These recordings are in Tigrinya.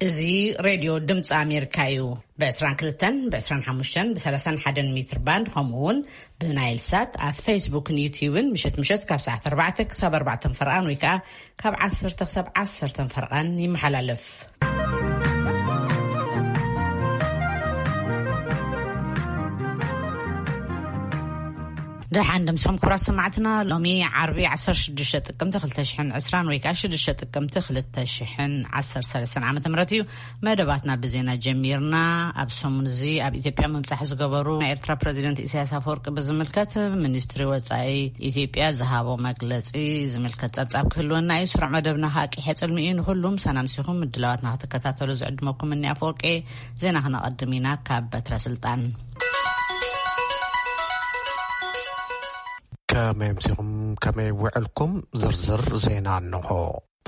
እዚ ሬድዮ ድምፂ ኣሜሪካ እዩ። ብ22፣ ብ25፣ ብ31 ሜትር ባንድ፣ ከምኡ እውን ብናይል ሳት ኣብ ፌስቡክን ዩትዩብን ምሸት ምሸት ካብ ሰዓት ኣርባዕተ ክሳብ ኣርባዕተ ፈርቓን ወይ ከዓ ካብ ዓሰርተ ክሳብ ዓሰርተ ፈርቓን ይመሓላለፍ። ደሓን ደምስኹም ክቡራት ሰማዕትና፣ ሎሚ ዓርቢ ዓሰርተ ሽዱሽተ ጥቅምቲ ክልተ ሽሕን ዕስራን ወይ ከዓ ሽዱሽተ ጥቅምቲ ክልተ ሽሕን ዓሰርተ ሰለስተን ዓመተ ምህረት እዩ። መደባትና ብዜና ጀሚርና። ኣብ ሰሙን እዚ ኣብ ኢትዮጵያ ምብጻሕ ዝገበሩ ናይ ኤርትራ ፕረዚደንት ኢሳያስ ኣፈወርቂ ብዝምልከት ሚኒስትሪ ወጻኢ ኢትዮጵያ ዝሃቦ መግለጺ ዝምልከት ጸብጻብ ክህልወና እዩ። ስሩዕ መደብና ከዓ ቂሐ ጽልሚ እዩ። ንኩሉም ሰናምሲኹም ምድላዋትና ክትከታተሉ ዝዕድመኩም እኒ ኣፈወርቂ። ዜና ክነቐድም ኢና። ካብ በትረ ስልጣን ከመይ ኣምሲኹም፣ ከመይ ውዕልኩም? ዝርዝር ዜና እንሆ።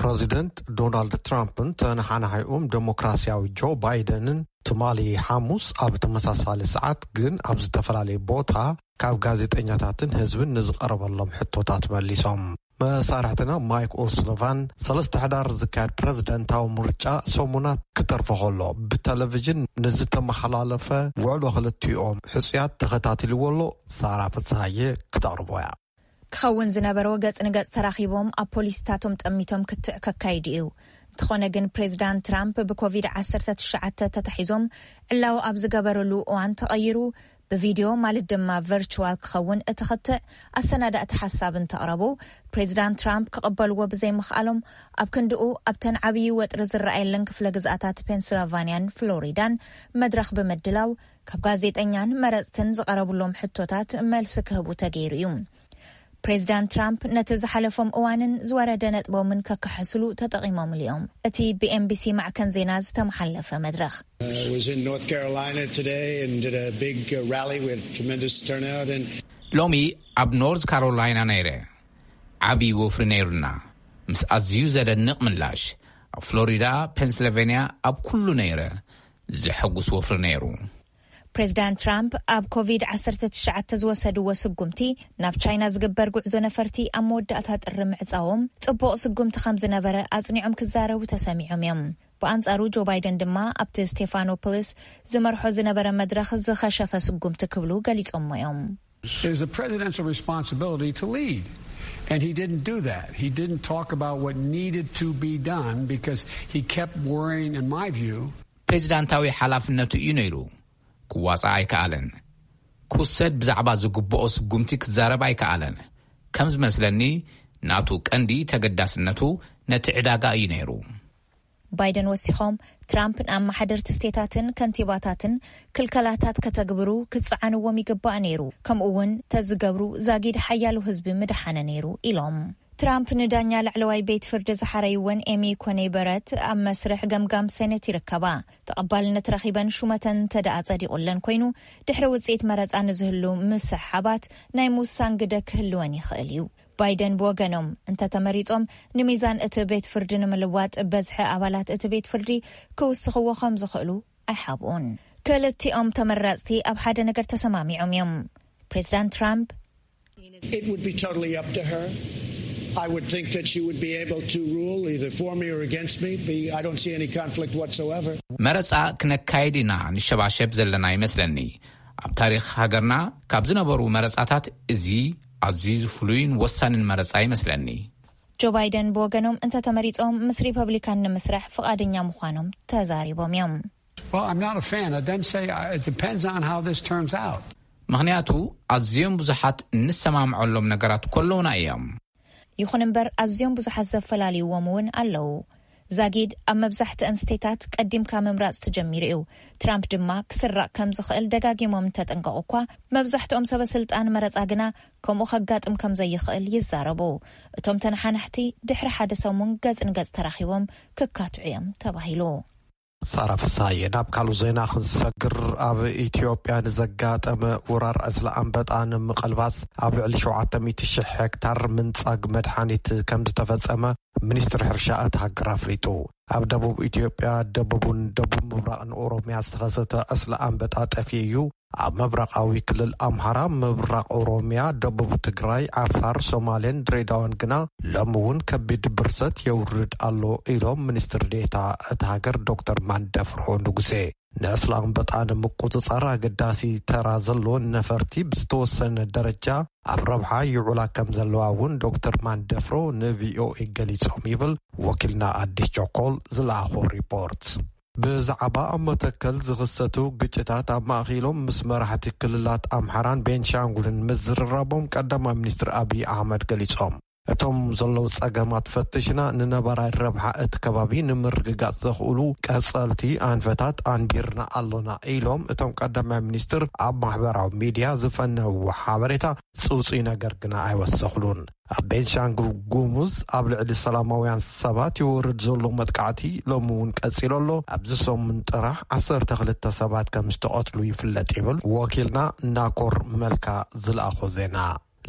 ፕረዚደንት ዶናልድ ትራምፕን ተነሓናሒኦም ደሞክራሲያዊ ጆ ባይደንን ትማሊ ሓሙስ ኣብ ተመሳሳሊ ሰዓት ግን ኣብ ዝተፈላለየ ቦታ ካብ ጋዜጠኛታትን ህዝብን ንዝቐረበሎም ሕቶታት መሊሶም። መሳርሕትና ማይክ ኦስሎቫን ሰለስተ ሕዳር ዝካየድ ፕረዚደንታዊ ምርጫ ሰሙናት ክተርፎ ከሎ ብቴሌቪዥን ንዝተመሓላለፈ ውዕሎ ክልቲኦም ሕጹያት ተኸታቲልዎ ኣሎ። ሳራ ፍትሃየ ክተቕርቦ እያ። ክኸውን ዝነበሮ ገጽ ንገጽ ተራኺቦም ኣብ ፖሊሲታቶም ጠሚቶም ክትዕ ከካይዱ እዩ። እንተኾነ ግን ፕሬዚዳንት ትራምፕ ብኮቪድ ዓሰርተ ትሽዓተ ተታሒዞም ዕላዊ ኣብ ዝገበረሉ እዋን ተቐይሩ ብቪድዮ ማለት ድማ ቨርቹዋል ክኸውን እቲ ክትዕ ኣሰናዳእቲ ሓሳብ እንተቕረቡ፣ ፕሬዚዳንት ትራምፕ ክቕበልዎ ብዘይምኽኣሎም ኣብ ክንድኡ ኣብተን ዓብዪ ወጥሪ ዝረኣየለን ክፍለ ግዝኣታት ፔንስልቫንያን ፍሎሪዳን መድረኽ ብምድላው ካብ ጋዜጠኛን መረጽትን ዝቐረቡሎም ሕቶታት መልሲ ክህቡ ተገይሩ እዩ። ፕሬዚዳንት ትራምፕ ነቲ ዝሓለፎም እዋንን ዝወረደ ነጥቦምን ከከሓስሉ ተጠቒሞምሉ እዮም። እቲ ብኤንቢሲ ማዕከን ዜና ዝተመሓለፈ መድረኽ። I was in North Carolina today and did a big, uh, rally. We had tremendous turnout and ሎሚ ኣብ ኖርዝ ካሮላይና ነይረ። ዓብዪ ወፍሪ ነይሩና፣ ምስ ኣዝዩ ዘደንቕ ምላሽ። ኣብ ፍሎሪዳ፣ ፔንስልቬንያ፣ ኣብ ኩሉ ነይረ። ዘሐጉስ ወፍሪ ነይሩ። ፕሬዚዳንት ትራምፕ ኣብ ኮቪድ ዓሰርተ ትሽዓተ ዝወሰድዎ ስጉምቲ፣ ናብ ቻይና ዝግበር ጉዕዞ ነፈርቲ ኣብ መወዳእታ ጥሪ ምዕጻዎም ጽቡቕ ስጉምቲ ከም ዝነበረ ኣጽኒዖም ክዛረቡ ተሰሚዖም እዮም። ብኣንጻሩ ጆ ባይደን ድማ ኣብቲ ስቴፋኖፖሊስ ዝመርሖ ዝነበረ መድረኽ ዝኸሸፈ ስጉምቲ ክብሉ ገሊጾሞ እዮም። It is a presidential responsibility to lead. And he didn't do that. He didn't talk about what needed to be done because he kept worrying, in my view. ፕሬዚዳንታዊ ሓላፍነቱ እዩ ነይሩ። ክዋጻእ ኣይከኣለን። ክውሰድ ብዛዕባ ዝግብኦ ስጉምቲ ክዛረብ ኣይከኣለን። ከም ዝመስለኒ፣ ናቱ ቀንዲ ተገዳስነቱ ነቲ ዕዳጋ እዩ ነይሩ። ባይደን ወሲኾም፣ ትራምፕ ንኣመሓደርቲ ስቴታትን ከንቲባታትን ክልከላታት ከተግብሩ ክጸዓንዎም ይግባእ ነይሩ፣ ከምኡ እውን ተዝገብሩ ዛጊድ ሓያሉ ህዝቢ ምድሓነ ነይሩ ኢሎም። ትራምፕ ንዳኛ ላዕለዋይ ቤት ፍርዲ ዝሓረይወን ኤሚ ኮኔ በረት ኣብ መስርሕ ገምጋም ሴኔት ይርከባ። ተቐባልነት ረኺበን ሹመተን እንተ ደኣ ጸዲቑለን ኮይኑ፣ ድሕሪ ውጽኢት መረጻ ንዝህሉ ምስሕሓባት ናይ ምውሳን ግደ ክህልወን ይኽእል እዩ። ባይደን ብወገኖም እንተተመሪጾም፣ ንሚዛን እቲ ቤት ፍርዲ ንምልዋጥ በዝሒ ኣባላት እቲ ቤት ፍርዲ ክውስኽዎ ከም ዝኽእሉ ኣይሓብኡን። ክልቲኦም ተመራጽቲ ኣብ ሓደ ነገር ተሰማሚዖም እዮም። ፕሬዚዳንት ትራምፕ It would be totally up to her. I would think that she would be able to rule either for me or against me. Be- I don't see any conflict whatsoever. መረጻ ክነካይድ ኢና ንሸባሸብ ዘለና ይመስለኒ። ኣብ ታሪኽ ሃገርና ካብ ዝነበሩ መረጻታት እዚ ኣዝዩ ፍሉይን ወሳንን መረጻ ይመስለኒ። ጆ ባይደን ብወገኖም እንተተመሪጾም ምስ ሪፐብሊካን ንምስራሕ ፍቓደኛ ምዃኖም ተዛሪቦም እዮም። Well, I'm not a fan. It doesn't say, uh, it depends on how this turns out. ምኽንያቱ ኣዝዮም ብዙሓት እንሰማምዐሎም ነገራት ከለውና እዮም። ይኹን እምበር ኣዝዮም ብዙሓት ዘፈላልይዎም እውን ኣለዉ። ዛጊድ ኣብ መብዛሕትአን ስቴታት ቀዲምካ ምምራጽ ተጀሚሩ እዩ። ትራምፕ ድማ ክስረቕ ከም ዝኽእል ደጋጊሞም እንተጠንቀቑ እኳ፣ መብዛሕትኦም ሰበ ስልጣን መረጻ ግና ከምኡ ከጋጥም ከም ዘይኽእል ይዛረቡ። እቶም ተነሓናሕቲ ድሕሪ ሓደ ሰሙን ገጽ ንገጽ ተራኺቦም ክካትዑ እዮም ተባሂሉ። ሳራ ፍሳየ። ናብ ካልእ ዜና ክንሰግር፣ ኣብ ኢትዮጵያ ንዘጋጠመ ወራር ዕስለ ኣንበጣ ንምቕልባስ ኣብ ልዕሊ ሸውዓተ ሚእቲ ሽሕ ሄክታር ምንጻግ መድሓኒት ከም ዝተፈጸመ ሚኒስትሪ ሕርሻ እታ ሃገር ኣፍሊጡ። ኣብ ደቡብ ኢትዮጵያ፣ ደቡብን ደቡብ ምብራቕን ኦሮሚያ ዝተኸሰተ ዕስለ ኣንበጣ ጠፊኡ እዩ። ኣብ ምብራቓዊ ክልል ኣምሓራ፣ ምብራቕ ኦሮሚያ፣ ደቡብ ትግራይ፣ ዓፋር፣ ሶማሌን ድሬዳዋን ግና ሎሚ እውን ከቢድ ብርሰት የውርድ ኣሎ ኢሎም ሚኒስትር ዴኤታ እታ ሃገር ዶክተር ማንደፍሮ ንጉሴ። ንዕስለ ኣንበጣ ንምቁጽጻር ኣገዳሲ ተራ ዘለወን ነፈርቲ ብዝተወሰነ ደረጃ ኣብ ረብሓ ይውዕላ ከም ዘለዋ እውን ዶክተር ማንደፍሮ ንቪኦኤ ገሊጾም ይብል ወኪልና ኣዲስ ቸኮል ዝለኣኾ ሪፖርት። ብዛዕባ ኣብ መተከል ዝኽሰቱ ግጭታት ኣብ ማእኺሎም ምስ መራሕቲ ክልላት ኣምሓራን ቤንሻንጉልን ምዝርራቦም ቀዳማይ ሚኒስትር ኣብይ ኣሕመድ ገሊጾም። እቶም ዘለዉ ጸገማት ፈትሽና ንነባራይ ረብሓ እቲ ከባቢ ንምርግጋጽ ዘኽእሉ ቀጸልቲ ኣንፈታት ኣንቢርና ኣሎና ኢሎም እቶም ቀዳማይ ሚኒስትር ኣብ ማሕበራዊ ሚድያ ዝፈነውዎ ሓበሬታ ጽውጽይ ነገር ግና ኣይወሰኽሉን። ኣብ ቤንሻንጉል ጉሙዝ ኣብ ልዕሊ ሰላማውያን ሰባት ይወርድ ዘሎ መጥቃዕቲ ሎሚ እውን ቀጺሉ ኣሎ። ኣብዚ ሰሙን ጥራሕ ዓሰርተ ክልተ ሰባት ከም ዝተቐትሉ ይፍለጥ ይብል ወኪልና ናኮር መልካ ዝለኣኾ ዜና።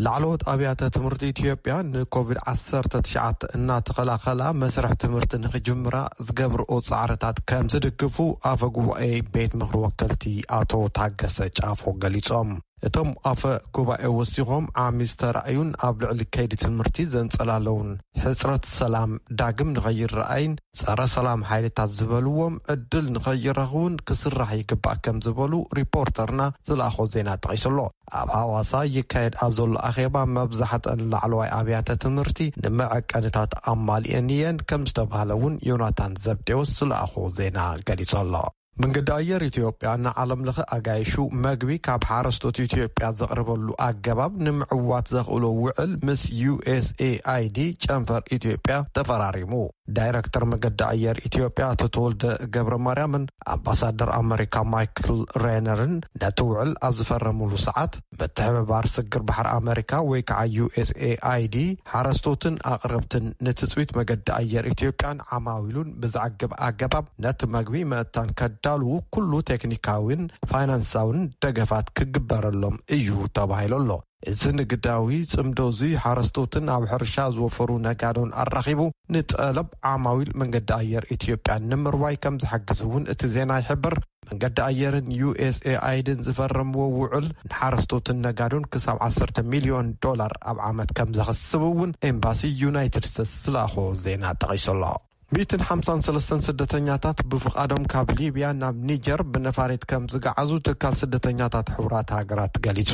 ላዕለዎት ኣብያተ ትምህርቲ ኢትዮጵያ ንኮቪድ ዓሰርተ ትሽዓተ እናተኸላኸላ መስርሕ ትምህርቲ ንኽጅምራ ዝገብርኦ ጻዕርታት ከም ዝድግፉ ኣፈ ጉባኤ ቤት ምኽሪ ወከልቲ ኣቶ ታገሰ ጫፎ ገሊጾም። እቶም ኣፈ ጉባኤ ወሲኾም ዓሚ ዝተራእዩን ኣብ ልዕሊ ከይዲ ትምህርቲ ዘንጸላለውን ሕጽረት ሰላም ዳግም ንኸይረኣይን ጸረ ሰላም ሓይልታት ዝበልዎም ዕድል ንኸይረኽቡን ክስራሕ ይግባእ ከም ዝበሉ ሪፖርተርና ዝለኣኾ ዜና ጠቒሱ ኣሎ። ኣብ ሃዋሳ ይካየድ ኣብ ዘሎ ኣኼባ መብዛሕተን ላዕለዋይ ኣብያተ ትምህርቲ ንመዐቀንታት ኣማሊኤን እየን ከም ዝተባህለ እውን ዮናታን ዘብዴዎስ ዝለኣኾ ዜና ገሊጹ ኣሎ። መንገዲ ኣየር ኢትዮጵያ ንዓለም ለኸ ኣጋይሹ መግቢ ካብ ሓረስቶት ኢትዮጵያ ዘቕርበሉ ኣገባብ ንምዕዋት ዘኽእሎ ውዕል ምስ ዩ ኤስ ኤ ኣይ ዲ ጨንፈር ኢትዮጵያ ተፈራሪሙ። ዳይረክተር መገዲ ኣየር ኢትዮጵያ ኣቶ ተወልደ ገብረ ማርያምን ኣምባሳደር ኣመሪካ ማይክል ሬነርን ነቲ ውዕል ኣብ ዝፈረሙሉ ሰዓት ምትሕብባር ስግር ባሕሪ ኣመሪካ ወይ ከዓ ዩ ኤስ ኤ ኣይ ዲ ሓረስቶትን ኣቕረብትን ንትጽቢት መገዲ ኣየር ኢትዮጵያን ዓማዊሉን ብዘዕግብ ኣገባብ ነቲ መግቢ መእታን ከዳልዉ ኩሉ ቴክኒካዊን ፋይናንሳውን ደገፋት ክግበረሎም እዩ ተባሂሉ ኣሎ። እዚ ንግዳዊ ጽምዶ እዚ ሓረስቶትን ኣብ ሕርሻ ዝወፈሩ ነጋዶን ኣራኺቡ ንጠለብ ዓማዊል መንገዲ ኣየር ኢትዮጵያ ንምርዋይ ከም ዝሕግዝ እውን እቲ ዜና ይሕብር። መንገዲ ኣየርን ዩ ኤስ ኤ ኣይ ዲን ዝፈረምዎ ውዕል ንሓረስቶትን ነጋዶን ክሳብ ዓሰርተ ሚልዮን ዶላር ኣብ ዓመት ከም ዘኽስብ እውን ኤምባሲ ዩናይትድ ስቴትስ ዝለኣኾ ዜና ጠቒሱ ኣሎ። ሚእትን ሓምሳን ሰለስተን ስደተኛታት ብፍቓዶም ካብ ሊብያ ናብ ኒጀር ብነፋሪት ከም ዝገዓዙ ትካል ስደተኛታት ሕቡራት ሃገራት ገሊጹ።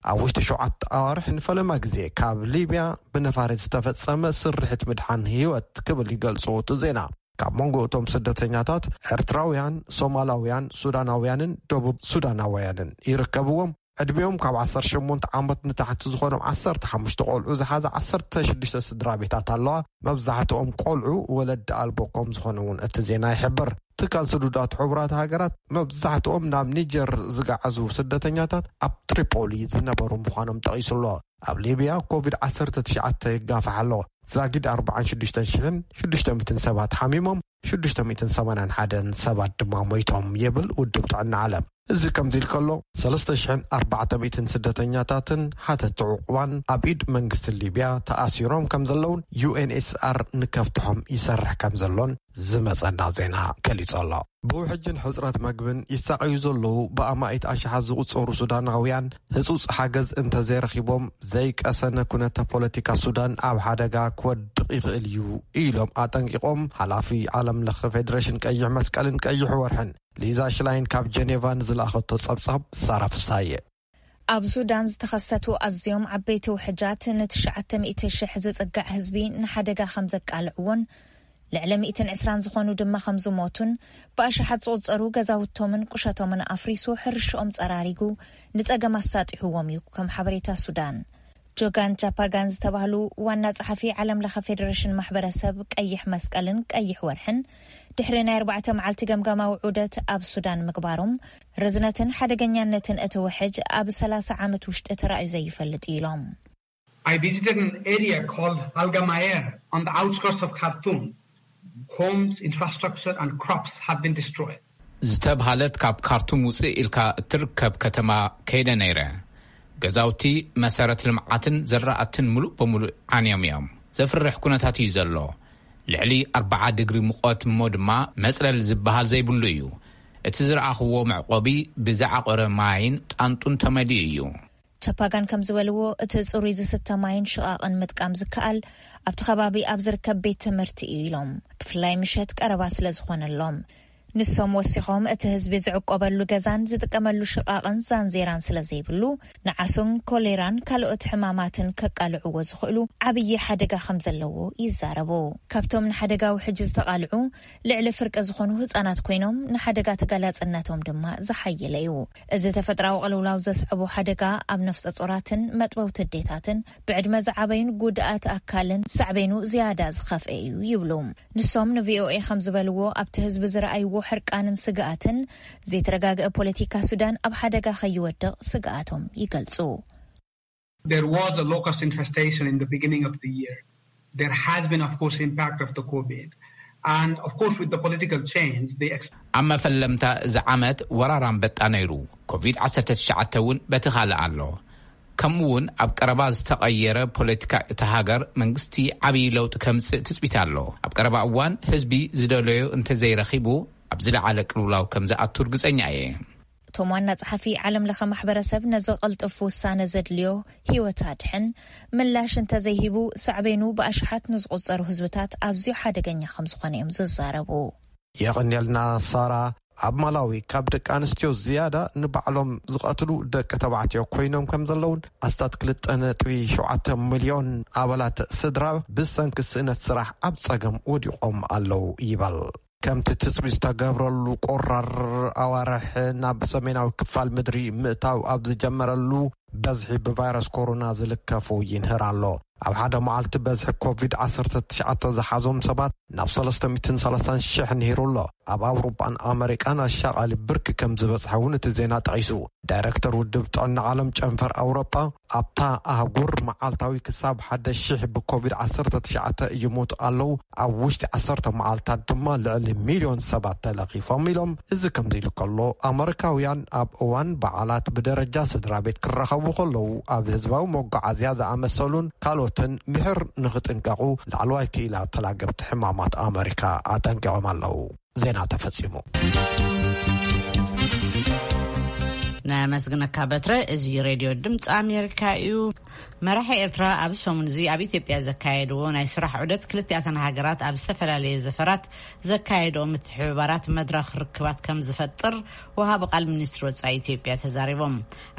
ኣብ ውሽጢ ሸውዓተ ኣዋርሕ ንፈለማ ግዜ ካብ ሊብያ ብነፋሪት ዝተፈጸመ ስርሒት ምድሓን ህይወት ክብል ይገልጾ እቲ ዜና። ካብ መንጎ እቶም ስደተኛታት ኤርትራውያን፣ ሶማላውያን፣ ሱዳናውያንን ደቡብ ሱዳናውያንን ይርከብዎም። ዕድሚኦም ካብ ዓሰርተ ሸሞንተ ዓመት ንታሕቲ ዝኾኖም ዓሰርተ ሓሙሽተ ቆልዑ ዝሓዘ ዓሰርተ ሽዱሽተ ስድራ ቤታት ኣለዋ። መብዛሕትኦም ቆልዑ ወለዲ ኣልቦ ከም ዝኾኑ እውን እቲ ዜና ይሕብር። ትካል ስዱዳት ሕቡራት ሃገራት መብዛሕትኦም ናብ ኒጀር ዝገዓዙ ስደተኛታት ኣብ ትሪፖሊ ዝነበሩ ምዃኖም ጠቒሱ ኣሎ። ኣብ ሊብያ ኮቪድ ዓሰርተ ትሽዓተ ይጋፋሕ ኣሎ። ዛጊድ ኣርባዓን ሽዱሽተን ሽሕን ሽዱሽተ ሚእትን ሰባት ሓሚሞም፣ ሽዱሽተ ሚእትን ሰማንያን ሓደን ሰባት ድማ ሞይቶም ይብል ውድብ ጥዕና ዓለም። እዚ ከምዚ ኢሉ ከሎ፣ ሰለስተ ሽሕን ኣርባዕተ ሚእትን ስደተኛታትን ሓተቲ ዕቑባን ኣብ ኢድ መንግስቲ ሊብያ ተኣሲሮም ከም ዘለውን ዩ ኤን ኤች ሲ ኣር ንከፍትሖም ይሰርሕ ከም ዘሎን ዝመጸና ዜና ገሊጹ ኣሎ። ብውሕጅን ሕጽረት መግብን ይሳቐዩ ዘለዉ ብኣማኢት ኣሽሓት ዝቑጸሩ ሱዳናውያን ህጹጽ ሓገዝ እንተዘይረኺቦም ዘይቀሰነ ኩነተ ፖለቲካ ሱዳን ኣብ ሓደጋ ክወድቕ ይኽእል እዩ ኢሎም ኣጠንቂቖም። ሓላፊ ዓለም ለኸ ፌዴሬሽን ቀይሕ መስቀልን ቀይሕ ወርሕን ሊዛ ሽላይን ካብ ጀኔቫ ንዝለኣኸቶ ጸብጻብ ሳራ ፍሳየ። ኣብ ሱዳን ዝተኸሰቱ ኣዝዮም ዓበይቲ ውሕጃት ንትሽዓተ ሚእቲ ሽሕ ዝጽጋዕ ህዝቢ ንሓደጋ ከም ዘቃልዕዎን ልዕሊ ሚእትን ዕስራን ዝኾኑ ድማ ከም ዝሞቱን ብኣሽሓት ዝቑጸሩ ገዛውቶምን ቁሸቶምን ኣፍሪሱ ሕርሽኦም ጸራሪጉ ንጸገም ኣሳጢሕዎም እዩ ከም ሓበሬታ ሱዳን። ጆጋን ጃፓጋን ዝተባህሉ ዋና ጸሓፊ ዓለም ለኸ ፌዴሬሽን ማሕበረሰብ ቀይሕ መስቀልን ቀይሕ ወርሕን ድሕሪ ናይ ኣርባዕተ መዓልቲ ገምጋማዊ ዑደት ኣብ ሱዳን ምግባሮም ርዝነትን ሓደገኛነትን እቲ ውሕጅ ኣብ ሰላሳ ዓመት ውሽጢ ተራእዩ ዘይፈልጥ እዩ ኢሎም። I visited an area called Algamayer on the outskirts of Khartoum. Homes, infrastructure, and crops have been destroyed. ዝተብሃለት ካብ ካርቱም ውፅእ ኢልካ እትርከብ ከተማ ከይደ ነይረ። ገዛውቲ፣ መሰረት ልምዓትን ዘራእትን ምሉእ በምሉእ ዓንዮም እዮም። ዘፍርሕ ኩነታት እዩ ዘሎ። ልዕሊ ኣርባዓ ድግሪ ሙቐት እሞ ድማ መፅለሊ ዝበሃል ዘይብሉ እዩ። እቲ ዝረኣኽዎ መዕቆቢ ብዝዓቆረ ማይን ጣንጡን ተመሊኡ እዩ። ቻፓጋን ከም ዝበልዎ፣ እቲ ጽሩይ ዝስተ ማይን ሽቓቕን ምጥቃም ዝከኣል ኣብቲ ከባቢ ኣብ ዝርከብ ቤት ትምህርቲ እዩ ኢሎም፣ ብፍላይ ምሸት ቀረባ ስለ ዝኾነሎም። ንሶም ወሲኾም፣ እቲ ህዝቢ ዝዕቆበሉ ገዛን ዝጥቀመሉ ሽቓቕን ዛንዜራን ስለ ዘይብሉ፣ ንዓሶን ኮሌራን ካልኦት ሕማማትን ከቃልዕዎ ዝኽእሉ ዓብዪ ሓደጋ ከም ዘለዎ ይዛረቡ። ካብቶም ንሓደጋ ውሕጅ ዝተቓልዑ ልዕሊ ፍርቂ ዝኾኑ ህጻናት ኮይኖም፣ ንሓደጋ ተጋላጽነቶም ድማ ዝሓየለ እዩ። እዚ ተፈጥራዊ ቅልውላው ዘስዕቦ ሓደጋ ኣብ ነፍሰ ጾራትን መጥበውቲ ኣዴታትን፣ ብዕድመ ዝዓበዩን ጉድኣት ኣካልን ሳዕቤኑ ዝያዳ ዝኸፍአ እዩ ይብሉ። ንሶም ንቪኦኤ ከም ዝበልዎ፣ ኣብቲ ህዝቢ ዝረኣይዎ ሕርቃንን ስግኣትን፣ ዘይተረጋግአ ፖለቲካ ሱዳን ኣብ ሓደጋ ከይወድቕ ስግኣቶም ይገልጹ። There was a locust infestation in the beginning of the year. There has been, of course, impact of the COVID. And of course, with the political change, the ex- ኣብ መፈለምታ እዚ ዓመት ወራር ኣንበጣ ነይሩ። ኮቪድ ዓሰርተ ትሽዓተ እውን በቲ ካልእ ኣሎ። ከምኡ እውን ኣብ ቀረባ ዝተቐየረ ፖለቲካ እታ ሃገር መንግስቲ ዓብዪ ለውጢ ከምጽእ ትጽቢት ኣሎ። ኣብ ቀረባ እዋን ህዝቢ ዝደለዮ እንተዘይረኺቡ ኣብ ዝለዓለ ቅልውላው ከም ዝኣቱ ርግጸኛ እየ። እቶም ዋና ጸሓፊ፣ ዓለም ለኸ ማሕበረሰብ ነዚ ቅልጡፍ ውሳነ ዘድልዮ ህይወት ኣድሕን ምላሽ እንተዘይሂቡ፣ ሳዕቤኑ ብኣሽሓት ንዝቑጸሩ ህዝብታት ኣዝዩ ሓደገኛ ከም ዝኾነ እዮም ዝዛረቡ። የቐንየልና ሳራ። ኣብ ማላዊ ካብ ደቂ ኣንስትዮ ዝያዳ ንባዕሎም ዝቐትሉ ደቂ ተባዕትዮ ኮይኖም ከም ዘለውን፣ ኣስታት ክልተ ነጥቢ ሸውዓተ ሚልዮን ኣባላት ስድራ ብሰንኪ ስእነት ስራሕ ኣብ ጸገም ወዲቖም ኣለዉ ይበል። ከምቲ ትጽቢት ዝተገብረሉ ቁራር ኣዋርሕ ናብ ሰሜናዊ ክፋል ምድሪ ምእታው ኣብ ዝጀመረሉ፣ በዝሒ ብቫይረስ ኮሮና ዝልከፉ ይንህር ኣሎ። ኣብ ሓደ መዓልቲ በዝሒ ኮቪድ ዓሰርተ ትሽዓተ ዝሓዞም ሰባት ናብ ሰለስተ ሚእትን ሰላሳን ሽሕ ንሂሩ ኣሎ። ኣብ ኣውሮጳን ኣመሪቃን ኣሻቓሊ ብርኪ ከም ዝበጽሐ እውን እቲ ዜና ጠቒሱ። ዳይሬክተር ውድብ ጥዕና ዓለም ጨንፈር ኣውሮጳ፣ ኣብታ ኣህጉር መዓልታዊ ክሳብ ሓደ ሺሕ ብኮቪድ ዓሰርተ ትሽዓተ ይሞቱ ኣለዉ፣ ኣብ ውሽጢ ዓሰርተ መዓልታት ድማ ልዕሊ ሚልዮን ሰባት ተለኺፎም ኢሎም። እዚ ከምዚ ኢሉ ከሎ፣ ኣመሪካውያን ኣብ እዋን በዓላት ብደረጃ ስድራ ቤት ክራኸቡ ከለዉ፣ ኣብ ህዝባዊ መጓዓዝያ ዝኣመሰሉን ካልኦትን ምሕር ንኽጥንቀቑ ላዕለዋይ ክኢላ ተላገብቲ ሕማማት ኣመሪካ ኣጠንቂቖም ኣለዉ። ዜና ተፈጺሙ። ነመስግነካ በትረ። እዚ ሬድዮ ድምፂ ኣሜሪካ እዩ። መራሒ ኤርትራ ኣብዚ ሰሙን እዚ ኣብ ኢትዮጵያ ዘካየድዎ ናይ ስራሕ ዑደት፣ ክልቲኣተን ሃገራት ኣብ ዝተፈላለየ ዘፈራት ዘካየድኦ ምትሕብባራት መድረኽ ርክባት ከም ዝፈጥር ወሃቢ ቃል ሚኒስትሪ ወጻኢ ኢትዮጵያ ተዛሪቦም።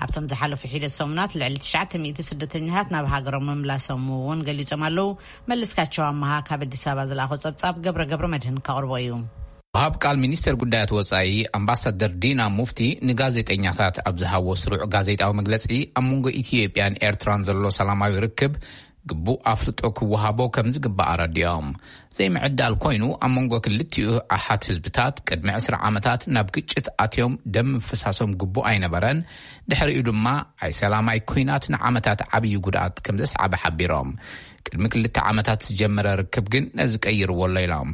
ኣብቶም ዝሓለፉ ሒደት ሰሙናት ልዕሊ ትሽዓተ ሚእቲ ስደተኛታት ናብ ሃገሮም ምምላሶም እውን ገሊጾም ኣለዉ። መለስካቸው ኣመሃ ካብ ኣዲስ ኣበባ ዝለኣኾ ጸብጻብ ገብረ ገብረ መድህን ከቕርቦ እዩ። ወሃብ ቃል ሚኒስተር ጉዳያት ወጻኢ ኣምባሳደር ዲና ሙፍቲ ንጋዜጠኛታት ኣብ ዝሃቦ ስሩዕ ጋዜጣዊ መግለጺ፣ ኣብ መንጎ ኢትዮጵያን ኤርትራን ዘሎ ሰላማዊ ርክብ ግቡእ ኣፍልጦ ክወሃቦ ከም ዝግባእ ኣረዲኦም። ዘይምዕዳል ኮይኑ፣ ኣብ መንጎ ክልቲኡ ኣሓት ህዝብታት ቅድሚ ዕስራ ዓመታት ናብ ግጭት ኣትዮም ደም ምፍሳሶም ግቡእ ኣይነበረን። ድሕሪኡ ድማ ኣይሰላማይ ኲናት ንዓመታት ዓብዪ ጉድኣት ከም ዘስዓበ ሓቢሮም። ቅድሚ ክልተ ዓመታት ዝጀመረ ርክብ ግን ነዚ ቀይርዎ ኣሎ ኢሎም።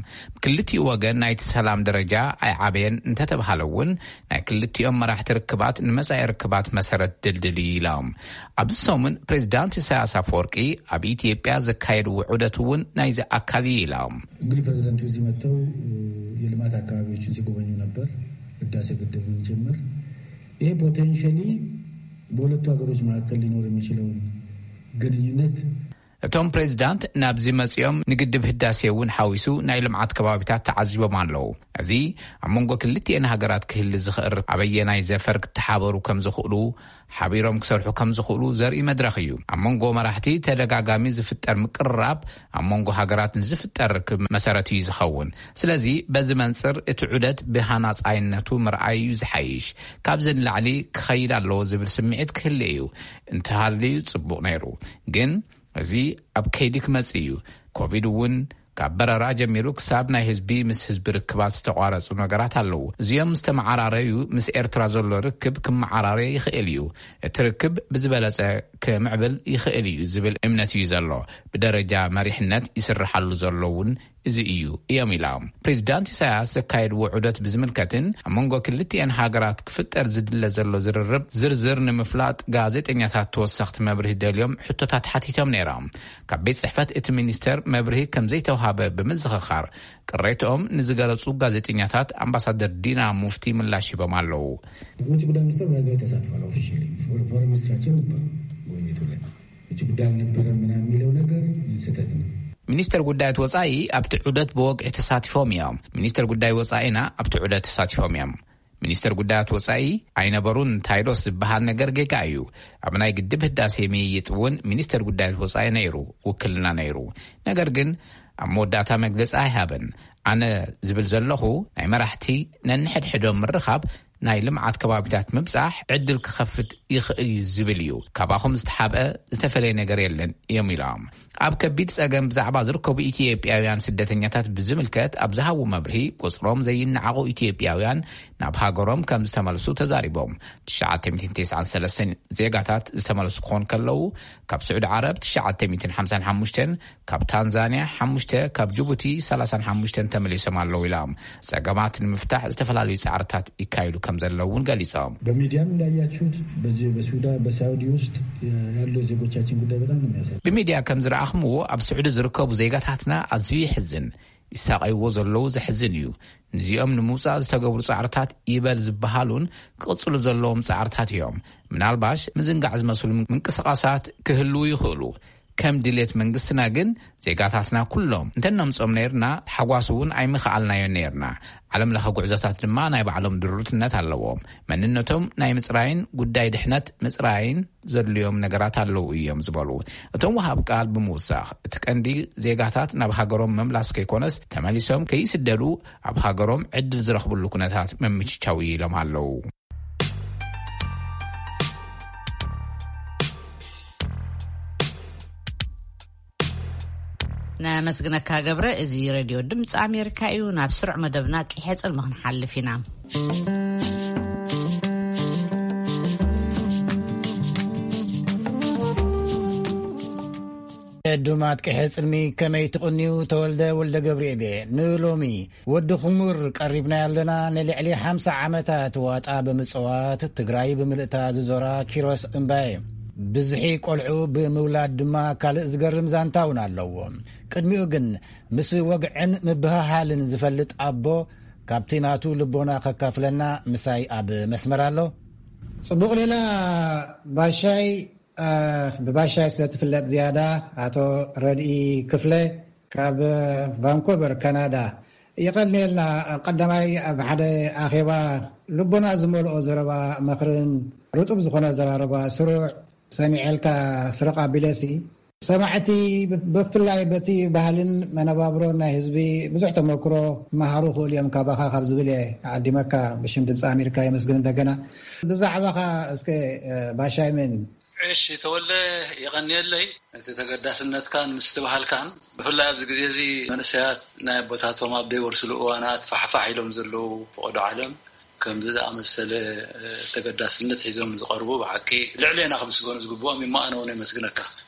ክልቲኡ ወገን ናይቲ ሰላም ደረጃ ኣይዓበየን እንተተባሃለ እውን፣ ናይ ክልቲኦም መራሕቲ ርክባት ንመጻኢ ርክባት መሰረት ድልድል እዩ ኢሎም። ኣብዚ ሰሙን ፕሬዚዳንት ኢሳያስ ኣፈወርቂ ኣብ ኢትዮጵያ ዘካየድዎ ዑደት እውን ናይዚ ኣካል እዩ ኢሎም። እንግዲህ ፕሬዚዳንቱ እዚህ መጥተው የልማት አካባቢዎችን ሲጎበኙ ነበር፣ ህዳሴ ግድብን ጭምር። ይሄ ፖቴንሻሊ በሁለቱ ሀገሮች መካከል ሊኖር የሚችለውን ግንኙነት እቶም ፕሬዚዳንት ናብዚ መጺኦም ንግድብ ህዳሴ እውን ሓዊሱ ናይ ልምዓት ከባቢታት ተዓዚቦም ኣለዉ። እዚ ኣብ መንጎ ክልቲኤን ሃገራት ክህሊ ዝኽእል ኣበየናይ ዘፈር ክተሓበሩ ከም ዝኽእሉ፣ ሓቢሮም ክሰርሑ ከም ዝኽእሉ ዘርኢ መድረኽ እዩ። ኣብ መንጎ መራሕቲ ተደጋጋሚ ዝፍጠር ምቅርራብ ኣብ መንጎ ሃገራት ንዝፍጠር ርክብ መሰረት እዩ ዝኸውን። ስለዚ በዚ መንጽር እቲ ዑደት ብሃናጻይነቱ ምርኣይ እዩ ዝሓይሽ። ካብዚ ንላዕሊ ክኸይድ ኣለዎ ዝብል ስምዒት ክህሊ እዩ። እንተሃልዩ ጽቡቕ ነይሩ። ግን እዚ ኣብ ከይዲ ክመጽእ እዩ። ኮቪድ እውን ካብ በረራ ጀሚሩ ክሳብ ናይ ህዝቢ ምስ ህዝቢ ርክባት ዝተቋረጹ ነገራት ኣለዉ። እዚኦም ምስ ተመዓራረዩ ምስ ኤርትራ ዘሎ ርክብ ክመዓራረ ይኽእል እዩ። እቲ ርክብ ብዝበለጸ ክምዕብል ይኽእል እዩ ዝብል እምነት እዩ ዘሎ። ብደረጃ መሪሕነት ይስርሓሉ ዘሎ እውን እዚ እዩ እዮም ኢላ። ፕሬዚዳንት ኢሳያስ ዘካየድዎ ዑደት ብዝምልከትን ኣብ መንጎ ክልቲኤን ሃገራት ክፍጠር ዝድለ ዘሎ ዝርርብ ዝርዝር ንምፍላጥ ጋዜጠኛታት ተወሰኽቲ መብርሂ ደልዮም ሕቶታት ሓቲቶም ነይሮም። ካብ ቤት ጽሕፈት እቲ ሚኒስተር መብርሂ ከም ዘይተውሃበ ብምዝኽኻር ቅሬትኦም ንዝገለጹ ጋዜጠኛታት ኣምባሳደር ዲና ሙፍቲ ምላሽ ሂቦም ኣለዉ። ውጭ ጉዳይ ሚኒስትር በዛ ተሳትፏል። ኦፊሻሊ ፎረን ሚኒስትራችን ነበሩ ውይይቱ ላይ። ውጭ ጉዳይ አልነበረም ምናምን የሚለው ነገር ስህተት ነው። ሚኒስተር ጉዳያት ወጻኢ ኣብቲ ዑደት ብወግዒ ተሳቲፎም እዮም። ሚኒስተር ጉዳይ ወጻኢና ኣብቲ ዑደት ተሳቲፎም እዮም። ሚኒስተር ጉዳያት ወጻኢ ኣይነበሩን ታይዶስ ዝበሃል ነገር ጌጋ እዩ። ኣብ ናይ ግድብ ህዳሴ ምይይጥ እውን ሚኒስተር ጉዳያት ወጻኢ ነይሩ፣ ውክልና ነይሩ። ነገር ግን ኣብ መወዳእታ መግለጺ ኣይሃበን። ኣነ ዝብል ዘለኹ ናይ መራሕቲ ነንሕድሕዶም ምርኻብ ናይ ልምዓት ከባቢታት ምብጻሕ ዕድል ክኸፍት ይኽእል እዩ ዝብል እዩ። ካባኹም ዝተሓብአ ዝተፈለየ ነገር የለን እዮም ኢሎም። ኣብ ከቢድ ጸገም ብዛዕባ ዝርከቡ ኢትዮጵያውያን ስደተኛታት ብዝምልከት ኣብ ዝሃቡ መብርሂ ቁጽሮም ዘይነዓቑ ኢትዮጵያውያን ናብ ሃገሮም ከም ዝተመልሱ ተዛሪቦም። ትሽዓተ ሚእትን ተስዓን ሰለስተን ዜጋታት ዝተመልሱ ክኾኑ ከለዉ ካብ ስዑዲ ዓረብ ትሽዓተ ሚእትን ሓምሳን ሓሙሽተን ካብ ታንዛንያ ሓሙሽተ፣ ካብ ጅቡቲ ሰላሳን ሓሙሽተን ተመሊሶም ኣለዉ ኢሎም። ጸገማት ንምፍታሕ ዝተፈላለዩ ጻዕርታት ይካየዱ ከም ዘለዉ እውን ገሊጾም። በሚዲያም እንዳያችሁት በዚህ በሱዳን በሳውዲ ውስጥ ያለው የዜጎቻችን ጉዳይ በጣም ነው የሚያሳዝነው። ብሚድያ ከም ዝረኣኽምዎ ኣብ ስዑዲ ዝርከቡ ዜጋታትና ኣዝዩ የሕዝን። ይሳቐይዎ ዘለዉ ዘሕዝን እዩ። ንዚኦም ንምውጻእ ዝተገብሩ ጻዕርታት ይበል ዝበሃሉን ክቕጽሉ ዘለዎም ጻዕርታት እዮም። ምናልባሽ ምዝንጋዕ ዝመስሉ ምንቅስቓሳት ክህልዉ ይኽእሉ። ከም ድሌት መንግስትና ግን ዜጋታትና ኩሎም እንተነምጾም ነይርና፣ ተሓጓስ እውን ኣይምኸኣልናዮን ነይርና። ዓለም ለኸ ጉዕዞታት ድማ ናይ ባዕሎም ድሩትነት ኣለዎም። መንነቶም ናይ ምጽራይን ጉዳይ ድሕነት ምጽራይን ዘድልዮም ነገራት ኣለዉ እዮም ዝበሉ እቶም ወሃብ ቃል ብምውሳኽ፣ እቲ ቀንዲ ዜጋታት ናብ ሃገሮም ምምላስ ከይኮነስ፣ ተመሊሶም ከይስደዱ ኣብ ሃገሮም ዕድል ዝረኽብሉ ኩነታት ምምችቻው ኢሎም ኣለዉ። ነመስግነካ ገብረ። እዚ ሬድዮ ድምፂ ኣሜሪካ እዩ። ናብ ስሩዕ መደብና ቂሐ ጽልሚ ክንሓልፍ ኢና። ዕዱማት ቂሐ ጽልሚ ከመይ ትቕንዩ? ተወልደ ወልደ ገብርኤል እየ። ንሎሚ ወዲ ኩሙር ቀሪብና ኣለና። ንልዕሊ ሓምሳ ዓመታት ዋጣ ብምጽዋት ትግራይ ብምልእታ ዝዞራ ኪሮስ እምባየ። ብዝሒ ቆልዑ ብምውላድ ድማ ካልእ ዝገርም ዛንታ እውን ኣለዎ። ቅድሚኡ ግን ምስ ወግዕን ምብህሃልን ዝፈልጥ ኣቦ ካብቲ ናቱ ልቦና ከካፍለና ምሳይ ኣብ መስመር ኣሎ። ጽቡቕ ሌላ ባሻይ፣ እ፣ ብባሻይ ስለ ትፍለጥ ዝያዳ ኣቶ ረድኢ ክፍለ ካብ ቫንኮቨር ካናዳ። የቐንየልና። ቀዳማይ ኣብ ሓደ ኣኼባ ልቦና ዝመልኦ ዘረባ መኽርን ርጡብ ዝኾነ ኣዘራርባ ስሩዕ ሰሚዐልካ ስረቕ ኣቢለሲ ሰማዕቲ ብፍላይ በቲ ባህልን መነባብሮን ናይ ህዝቢ ብዙሕ ተመክሮ መሃሩ ክእሉ እዮም ካባኻ ካብ ዝብል እየ ዓዲመካ። ብሽም ድምፂ ኣሜሪካ የመስግን እንደገና። ብዛዕባኻ እስከ ባሻይ ምን እሺ ተወልደ፣ የቐንየለይ። እቲ ተገዳስነትካን ምስትብሃልካን ብፍላይ ኣብዚ ግዜ እዚ መንእሰያት ናይ ኣቦታቶም ኣብ ዘይወርስሉ እዋናት ፋሕፋሕ ኢሎም ዘለዉ ፈቐዶ ዓለም ከምዚ ዝኣመሰለ ተገዳስነት ሒዞም ዝቐርቡ ብሓቂ ልዕሌና ክምስገኑ ዝግብኦም እሞ ኣነ እውን የመስግነካ።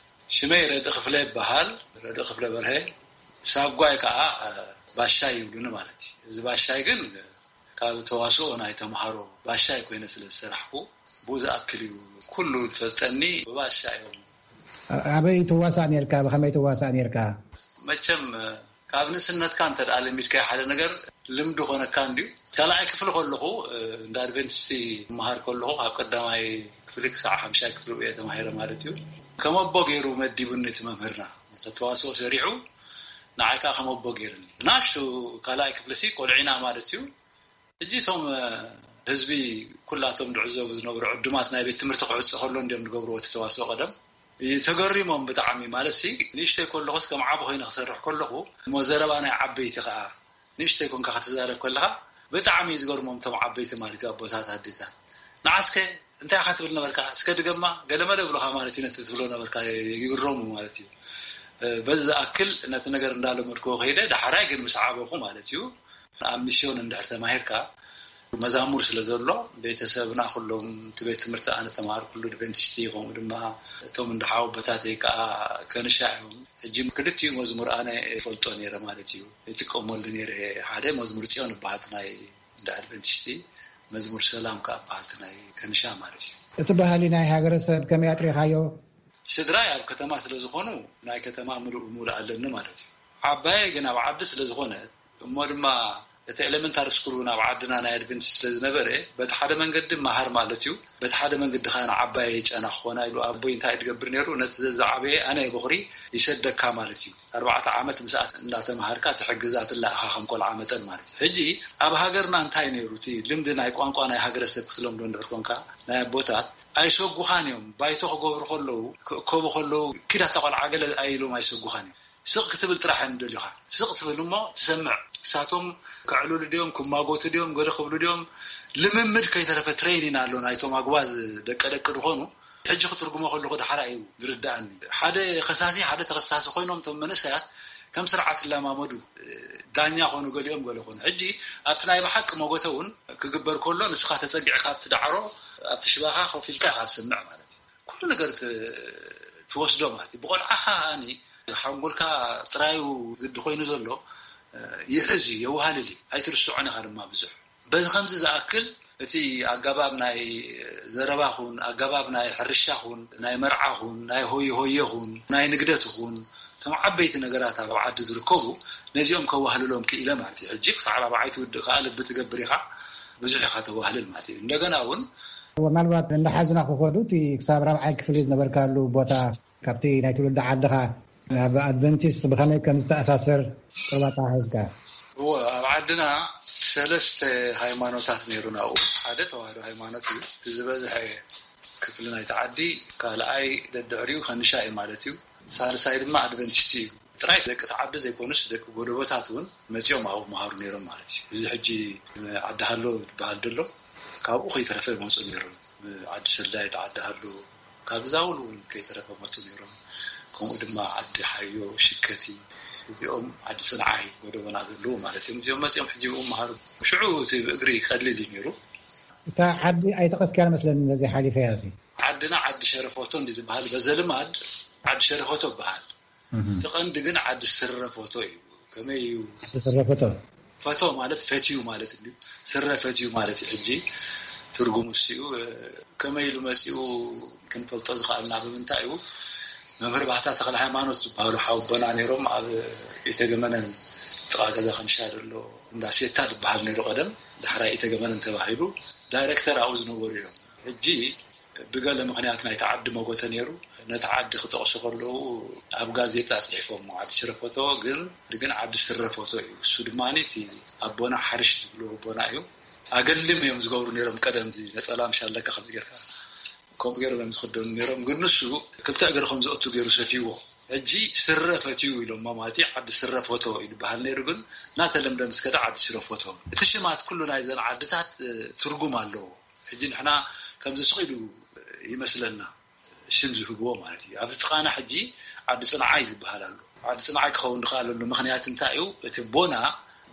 ሽመይ ረድኢ ክፍለ ይበሃል። ረድኢ ክፍለ በርሀ። ሳጓይ ከዓ ባሻይ ይብሉኒ ማለት እዩ። እዚ ባሻይ ግን ካብ ተዋስኦ ናይ ተምሃሮ ባሻይ ኮይነ ስለ ዝሰራሕኩ ብኡ ዝኣክል እዩ። ኩሉ ዝፈልጠኒ ብባሻ እዮም። ኣበይ ትዋሳእ ነርካ? ብኸመይ ትዋሳእ ነርካ? መቸም ካብ ንእስነትካ እንተ ደኣ ለሚድካዮ ሓደ ነገር ልምዲ ኮነካ እንድዩ። ካልኣይ ክፍሊ ከለኹ እንዳ ኣድቨንቲስቲ መሃር ከለኹ ካብ ቀዳማይ ክፍሊ ክሳዕ ሓምሻይ ክፍሊ እየ ተማሂረ ማለት እዩ። ከም ኣቦ ገይሩ መዲቡኒ እቲ መምህርና። ተዋስኦ ሰሪዑ ንዓይ ከዓ ከም ኣቦ ገይሩኒ። ናሽቱ ካልኣይ ክፍሊ ሲ ቆልዒና ማለት እዩ። ሕጂ እቶም ህዝቢ ኩላቶም ዝዕዘቡ ዝነብሩ ዕዱማት ናይ ቤት ትምህርቲ ክዕጾ ከሎ እንዲዮም ዝገብርዎ እቲ ተዋስኦ ቀደም። ተገሪሞም ብጣዕሚ ማለት ሲ ንእሽተይ ከለኹስ ከም ዓቢ ኮይነ ክሰርሕ ከለኹ እሞ ዘረባ ናይ ዓበይቲ ከዓ ንእሽተይ ኮንካ ክትዛረብ ከለኻ ብጣዕሚ እዩ ዝገርሞም እቶም ዓበይቲ ማለት እዩ ኣቦታት ኣዴታት። ንዓስከ እንታይ ኢኻ ትብል ነበርካ እስከ ድገማ ገለመለ ብሉኻ ማለት እዩ ነቲ ትብሎ ነበርካ ይግረሙ ማለት እዩ። በዚ ዝኣክል ነቲ ነገር እንዳለመድክዎ ከይደ ዳሕራይ ግን ምስ ዓበኹ ማለት እዩ ኣብ ሚስዮን እንድሕር ተማሂርካ መዛሙር ስለ ዘሎ፣ ቤተሰብና ኩሎም፣ እቲ ቤት ትምህርቲ ኣነ ተማሃርኩሉ ኣድቨንቲስት እዩ፣ ከምኡ ድማ እቶም እንድሓው ኣቦታተይ ከዓ ከንሻ እዮም። ሕጂ ክልቲኡ መዝሙር ኣነ ይፈልጦ ነይረ ማለት እዩ። ይጥቀመሉ ነይረ። ሓደ መዝሙር ጽዮን ይበሃል፣ ናይ እንዳ ኣድቨንቲስት፣ መዝሙር ሰላም ከዓ ይበሃል፣ ናይ ከንሻ ማለት እዩ። እቲ ባህሊ ናይ ሃገረሰብ ከመይ ኣጥሪኻዮ? ስድራይ ኣብ ከተማ ስለ ዝኾኑ፣ ናይ ከተማ ምሉእ ብምሉእ ኣለኒ ማለት እዩ። ዓባየ ግን ኣብ ዓዲ ስለ ዝኾነ፣ እሞ ድማ እቲ ኤሌመንታሪ ስኩል እውን ኣብ ዓድና ናይ ኣድቨንቲስት ስለ ዝነበረ፣ በቲ ሓደ መንገዲ መሃር ማለት እዩ፣ በቲ ሓደ መንገዲ ከዓ ንዓባየ ጨና ክኾና ኢሉ ኣቦይ እንታይ እዩ ዝገብር ነይሩ? ነቲ ዝዓበየ ኣነ በኹሪ ይሰደካ ማለት እዩ። ኣርባዕተ ዓመት ምስኣ እንዳተምሃርካ ትሕግዛ ትለኣኻ ከም ቆልዓ መጠን ማለት እዩ። ሕጂ ኣብ ሃገርና እንታይ ነይሩ? እቲ ልምዲ ናይ ቋንቋ ናይ ሃገረሰብ ክትለምዶ እንድሕር ኮንካ፣ ናይ ኣቦታት ኣይሰጉኻን እዮም። ባይቶ ክገብሩ ከለዉ፣ ክእከቡ ከለዉ፣ ኪድ ኣታ ቆልዓ ገለ ኣይኢሎም ኣይሰጉኻን እዮም። ስቕ ክትብል ጥራሕ እዮም ደልዩኻ። ስቕ ትብል እሞ ትሰምዕ። እሳቶም ከዕልሉ ድዮም፣ ክማጎቱ ድዮም፣ ገለ ክብሉ ድዮም፣ ልምምድ ከይተረፈ ትሬኒን ኣሎ ናይቶም ኣጉባዝ ደቀ ደቂ ዝኾኑ። ሕጂ ክትርጉሞ ከለኹ ዳሕራ እዩ ዝርድኣኒ። ሓደ ከሳሲ፣ ሓደ ተኸሳሲ ኮይኖም እቶም መንእሰያት ከም ስርዓት ይለማመዱ። ዳኛ ኮኑ፣ ገሊኦም ገለ ኮኑ። ሕጂ ኣብቲ ናይ ብሓቂ መጎተ እውን ክግበር ከሎ ንስኻ ተጸጊዕካ ኣብቲ ዳዕሮ፣ ኣብቲ ሽባኻ ኮፍ ኢልካ ኢኻ ትሰምዕ ማለት እዩ። ኩሉ ነገር ት-፣ ትወስዶ ማለት እዩ። ብቆልዓኻ ከኣኒ ሓንጎልካ ጥራዩ ግዲ ኮይኑ ዘሎ ይሕዝ እዩ፣ የዋህልል እዩ። ኣይትርስዖን ኢኻ ድማ ብዙሕ። በዚ ከምዚ ዝኣክል እቲ ኣገባብ ናይ ዘረባ ኹን፣ ኣገባብ ናይ ሕርሻ ኹን፣ ናይ መርዓ ኹን፣ ናይ ሆየ ሆየ ኹን፣ ናይ ንግደት ኹን፣ እቶም ዓበይቲ ነገራት ኣብ ዓዲ ዝርከቡ ነዚኦም ከዋህልሎም ክኢለ ማለት እዩ። ሕጂ ክሳዕ ራብዓይ ትውድእ ከኣ ልቢ ትገብር ኢኻ፣ ብዙሕ ኢኻ ተዋህልል ማለት እዩ። እንደገና እውን ምናልባት እንዳሓዝና ክኸዱ እቲ ክሳብ ራብዓይ ክፍሊ ዝነበርካሉ ቦታ ካብቲ ናይ ትውልዲ ዓድኻ ናብ ኣድቨንቲስት ብኸመይ ከም ዝተኣሳሰር ቁርብ ኣተሓሒዝካ? እወ፣ ኣብ ዓድና ሰለስተ ሃይማኖታት ነይሩና ኣብኡ። ሓደ ተዋህዶ ሃይማኖት እዩ። እቲ ዝበዝሐ ክፍሊ ናይቲ ዓዲ፣ ካልኣይ ደድሕሪኡ ከንሻ እዩ ማለት እዩ። ሳልሳይ ድማ ኣድቨንቲስት እዩ። ጥራይ ደቂ እቲ ዓዲ ዘይኮኑስ ደቂ ጎደቦታት እውን መጺኦም ኣብኡ መሃሩ ነይሮም ማለት እዩ። እዚ ሕጂ ዓዲ ሃሎ ዝበሃል ዘሎ ካብኡ ከይተረፈ ይመጹ ነይሮም። ዓዲ ሰልዳይ፣ ዓዲ ሃሎ፣ ካብ ዛውል እውን ከይተረፈ መጹ ነይሮም። ከምኡ ድማ ዓዲ ሓዮ፣ ሽከቲ፣ እዚኦም ዓዲ ጽንዓይ ጎደቦና ዘለዉ ማለት እዮም። እዚኦም መጺኦም ሕጂ ብኡ መሃሩ። ሽዑ እቲ ብእግሪ ቀሊል እዩ ነይሩ። እታ ዓዲ ኣይጠቐስካያ መስለኒ፣ ነዚ ሓሊፈያ እዚ። ዓድና ዓዲ ሸረፎቶ እንዲ ዝበሃል፣ በዘ ልማድ ዓዲ ሸረፎቶ ይበሃል። እቲ ቀንዲ ግን ዓዲ ስረ ፎቶ እዩ። ከመይ እዩ? ዓዲ ስረ ፎቶ። ፈቶ ማለት ፈትዩ ማለት እዩ። ስረ ፈትዩ ማለት እዩ። ሕጂ ትርጉሙ እሱ እዩ። ከመይ ኢሉ መጺኡ ክንፈልጦ ዝኸኣልና ብምንታይ እዩ? መምህር ባህታ ተኽለ ሃይማኖት ዝበሃሉ ሓወቦና ነይሮም። ኣብ ኢተገመነን ጥቓ ገዛ ከንሻ ዘሎ እንዳ ሴታ ዝበሃል ነይሩ ቀደም። ዳሕራይ ኢተገመነን ተባሂሉ ዳይሬክተር ኣብኡ ዝነበሩ እዮም። ሕጂ ብገለ ምኽንያት ናይቲ ዓዲ መጎተ ነይሩ። ነቲ ዓዲ ክጠቕሱ ከለዉ ኣብ ጋዜጣ ጽሒፎሞ፣ ዓዲ ሽረፎቶ። ግን፣ ግን ዓዲ ስረፎቶ እዩ። እሱ ድማ እቲ ኣቦና ሓርሽ ዝብልዎ ኣቦና እዩ። ኣገልድም እዮም ዝገብሩ ነይሮም ቀደም፣ እዚ ነጸላ ምሽ ኣለካ ከምዚ ጌርካ፣ ከምኡ ገይሮም እዮም ዝኽደኑ ነይሮም። ግን ንሱ ክልተ እግሪ ከም ዘእቱ ገይሩ ሰፊዎ። ሕጂ ስረ ፈትዩ ኢሎሞ ማለት እዩ። ዓዲ ስረ ፎቶ ይበሃል ነይሩ፣ ግን እናተለምደ ምስ ከደ ዓዲ ሽረ ፎቶ። እቲ ሽማት ኩሉ ናይዘን ዓድታት፣ እ፣ ትርጉም ኣለዎ። ሕጂ ንሕና ከምዚ ስቕ ኢሉ ይመስለና ሽም ዝህብዎ ማለት እዩ። ኣብዚ ጥቓና ሕጂ ዓዲ ጽንዓይ ዝበሃል ኣሎ። ዓዲ ጽንዓይ ክኸውን ዝኸኣለሉ ምኽንያት እንታይ እዩ? እቲ ኣቦና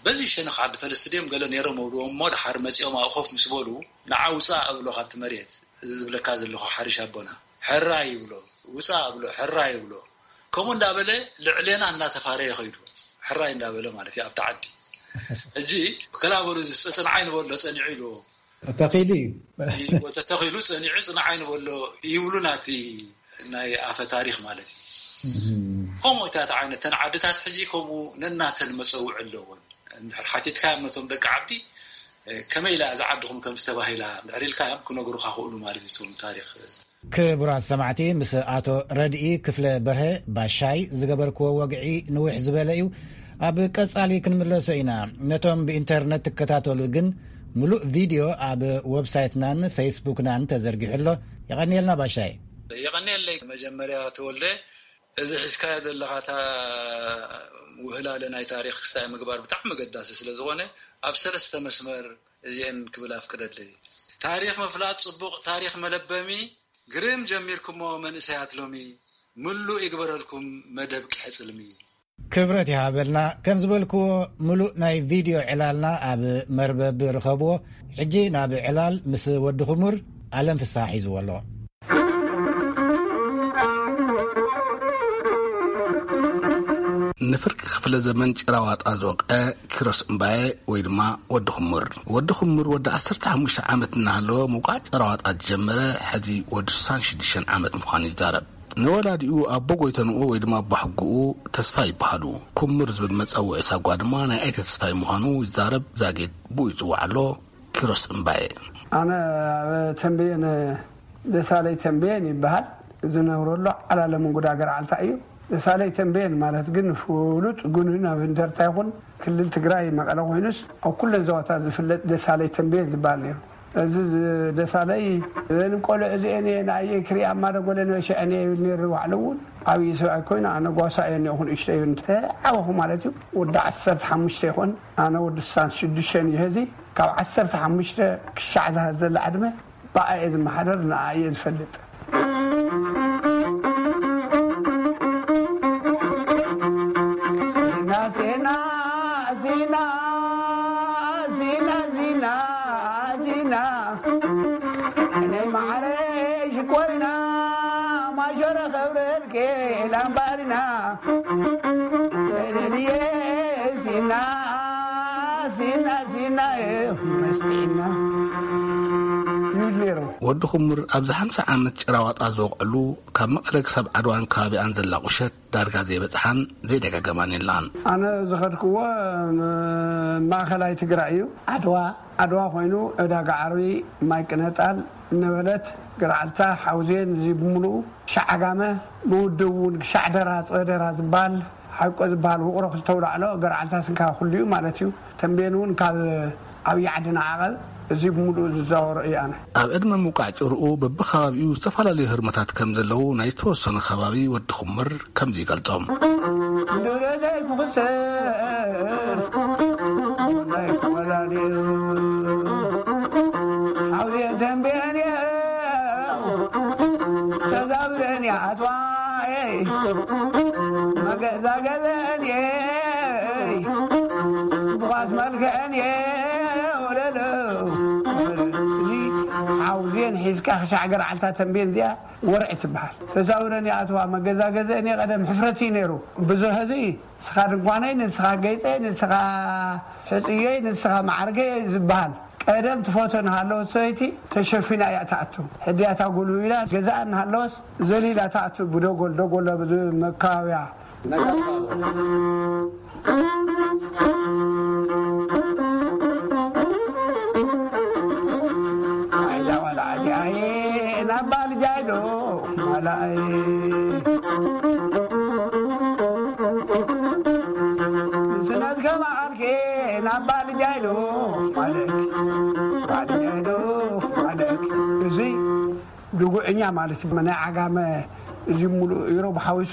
በዚ ሸነኽ ዓዲ ፈለስቲ ድዮም ገለ ነይሮም እብልዎም እሞ፣ ድሓር መጺኦም ኣብኡ ኮፍ ምስ በሉ፣ ንዓ ውጻእ እብሎ ካብቲ መሬት፣ እዚ ዝብለካ ዘለኹ ሓሪሽ ኣቦና፣ ሕራይ ይብሎ፣ ውጻእ እብሎ፣ ሕራይ ይብሎ። ከምኡ እንዳበለ ልዕሌና እናተፋረየ ኸይዱ፣ ሕራይ እንዳበለ ማለት እዩ ኣብቲ ዓዲ። ሕጂ ከላ በሉ፣ እዚ ጽንዓይ ንበሎ ጸኒዑ ኢልዎ። ተተኺሉ እዩ። ተተኺሉ ጸኒዑ ጽንዓይ ንበሎ ይብሉና፣ እቲ ናይ ኣፈ ታሪኽ ማለት እዩ። እም። ከምኡ እታት ዓይነት ተን ዓድታት ሕጂ ከምኡ ነናተን መጸውዒ ኣለወን። እንድሕር ሓቲትካዮም ነቶም ደቂ ዓዲ፣ እ፣ ከመይ ኢላ እዛ ዓድኹም ከም ዝተባሂላ እንድሕር ኢልካዮም ክነግሩኻ ክእሉ ማለት እዩ፣ እቶም ታሪኽ። ክቡራት ሰማዕቲ፣ ምስ ኣቶ ረድኢ ክፍለ በርሀ ባሻይ ዝገበርክዎ ወግዒ ንውሕ ዝበለ እዩ። ኣብ ቀጻሊ ክንምለሶ ኢና። ነቶም ብኢንተርነት ትከታተሉ ግን ምሉእ ቪድዮ ኣብ ወብሳይትናን ፌስቡክናን ተዘርጊሑ ኣሎ። የቐንየልና ባሻይ። የቐንየለይ። መጀመርያ ተወልደ፣ እዚ ሒዝካዮ ዘለኻ እታ ውህላለ ናይ ታሪኽ ክስታይ ምግባር ብጣዕሚ ኣገዳሲ ስለ ዝኾነ፣ ኣብ ሰለስተ መስመር እዚኤን ክብል ኣፍቅደለይ። ታሪኽ ምፍላጥ ጽቡቕ፣ ታሪኽ መለበሚ ግርም ጀሚርኩሞ መንእሰያት ሎሚ፣ ምሉእ ይግበረልኩም መደብ ቂሐ ጽልሚ። ክብረት ይሃበልና። ከም ዝበልክዎ፣ ምሉእ ናይ ቪድዮ ዕላልና ኣብ መርበብ ርኸብዎ። ሕጂ ናብ ዕላል ምስ ወዲ ኹሙር፣ ኣለም ፍስሓ ሒዝዎ ኣሎ። ንፍርቂ ክፍለ ዘመን ጭራዋጣ ዝወቕዐ ኪሮስ እምባየ ወይ ድማ ወዲ ኹሙር። ወዲ ኹሙር ወዲ ዓሰርተ ሓሙሽተ ዓመት እናሃለወ ምውቃዕ ጭራዋጣ ዝጀመረ፣ ሕዚ ወዲ ስሳን ሽዱሽተን ዓመት ምዃኑ ይዛረብ። ንወላዲኡ ኣቦ ጎይተንኡ ወይ ድማ ኣቦ ሕጉኡ ተስፋ ይበሃሉ። ኩምር ዝብል መጸውዒ ሳጓ ድማ ናይ ኣይተ ተስፋይ ምዃኑ ይዛረብ። ዛጌት ብኡ ይጽዋዕ ኣሎ። ኪሮስ እምባየ። ኣነ ኣብ ተንቤን፣ ደሳለይ ተንቤን ይበሃል። ዝነብረሉ ዓላለ ምንጉዳ ገርዓልታ እዩ። ደሳለይ ተንቤን ማለት ግን ፍሉጥ ጉኑን ኣብ እንደርታ ይኹን ክልል ትግራይ መቐለ ኮይኑስ ኣብ ኩለን ዞባታት ዝፍለጥ ደሳለይ ተንቤን ዝበሃል ነይሩ። እዚ ደሳለይ፣ "እዘን ቆልዑ እዚአን እየ ንኣየይ ክሪኣ እማ ደጎለ ነበሸዐን እየ" ይብል ነይሩ። ባዕሉ እውን ዓብዪ ሰብኣይ ኮይኑ፣ ኣነ ጓሳ እየ እኒኦኹ ንእሽቶ እዩ፣ እንተዓበኹ ማለት እዩ። ወዲ ዓሰርተ ሓሙሽተ ይኾን፣ ኣነ ወዲ ስሳን ሽዱሽተን እዩ። ሕዚ ካብ ዓሰርተ ሓሙሽተ ክሻዕ ዝሃዘላ ዕድመ ብኣ እየ ዝመሓደር፣ ንኣ እየ ዝፈልጥ። ዜና፣ ዜና፣ ዜና፣ ዜና፣ ዜና፣ ዜና። እኔ ማዕረ ሽኮሪና፣ ማሸረ ኸብረልኬ ላምባሪና። እኔ ዜና፣ ዜና፣ ዜና፣ መስጢና። ይብል ነይሩ። ወዲ ኹምር ኣብዚ ሓምሳ ዓመት ጭራዋጣ ዝወቕዕሉ፣ ካብ መቐለ ክሳብ ዓድዋን ከባቢኣን ዘላ ቁሸት ዳርጋ ዘይበጽሓን ዘይደጋገማን የላን። ኣነ ዝኸድክዎ ም-፣ ማእኸላይ ትግራይ እዩ። ዓድዋ፣ ዓድዋ ኮይኑ ዕዳጋ ዓርቢ፣ ማይ ቅነጣል፣ ነበለት፣ ገርዓልታ፣ ሓውዜን፣ እዚ ብምሉኡ፣ ሻዕ ዓጋመ፣ ብውድብ እውን ሻዕ ደራ፣ ጸደራ ዝበሃል፣ ሓቆ ዝበሃል፣ ውቕሮ ክልተ ውላዕሎ፣ ገርዓልታ ስንካ ኩሉ እዩ ማለት እዩ። ተንቤን እውን ካብ ዓብዪ ዓዲ ንዓቐብ፣ እዚ ብምሉኡ ዝዛወሮ እዩ ኣነ። ኣብ ዕድመ ምውቃዕ ጭርኡ በብኸባቢኡ ዝተፈላለዩ ህርመታት ከም ዘለዉ ናይ ዝተወሰኑ ከባቢ ወዲ ኹምር ከምዚ ይገልጾም። ድረደይ ክኽሰር ናይ ወላዲኡ ሓውዜን ተንቤን እየ። ተዛብረን እያ ኣትዋየይ፣ መገዛገዘን እየ፣ ብኳስ መልክዐን እየ። ወለሎ፣ እዚ ሓውዜን ሒዝካ ክሻዕ ገርዓልታ ተንቤን እዚኣ ወርዒ ትበሃል። ተዛብረን እያ ኣትዋ፣ መገዛገዘን እየ። ቀደም ሕፍረት እዩ ነይሩ። ብዙሕ እዚ ንስኻ ድንኳነይ፣ ንስኻ ገይፀይ፣ ንስኻ ሕፅየይ፣ ንስኻ ማዕርገይ ዝበሃል። ቀደም ትፈቶ እናሃለወት ሰበይቲ ተሸፊና እያ ትኣቱ። ሕድያታ ጉልቢላ ገዛኣ እናሃለወስ ዘሊላ ትኣቱ። ብደጎል፣ ደጎል ኣብዚ መካባብያ። ኣይዛ ዋላ ዓዲ ኣየ ናባ ልጃይዶ ማላኣይ። ስነት ከማዓልኬ ናባ ልጃይዶ ማለክ፣ ባልጃይዶ ማለክ። እዚ ድጉዕኛ ማለት እዩ። ናይ ዓጋመ እዚ ሙሉእ ኢሮብ ሓዊሱ፣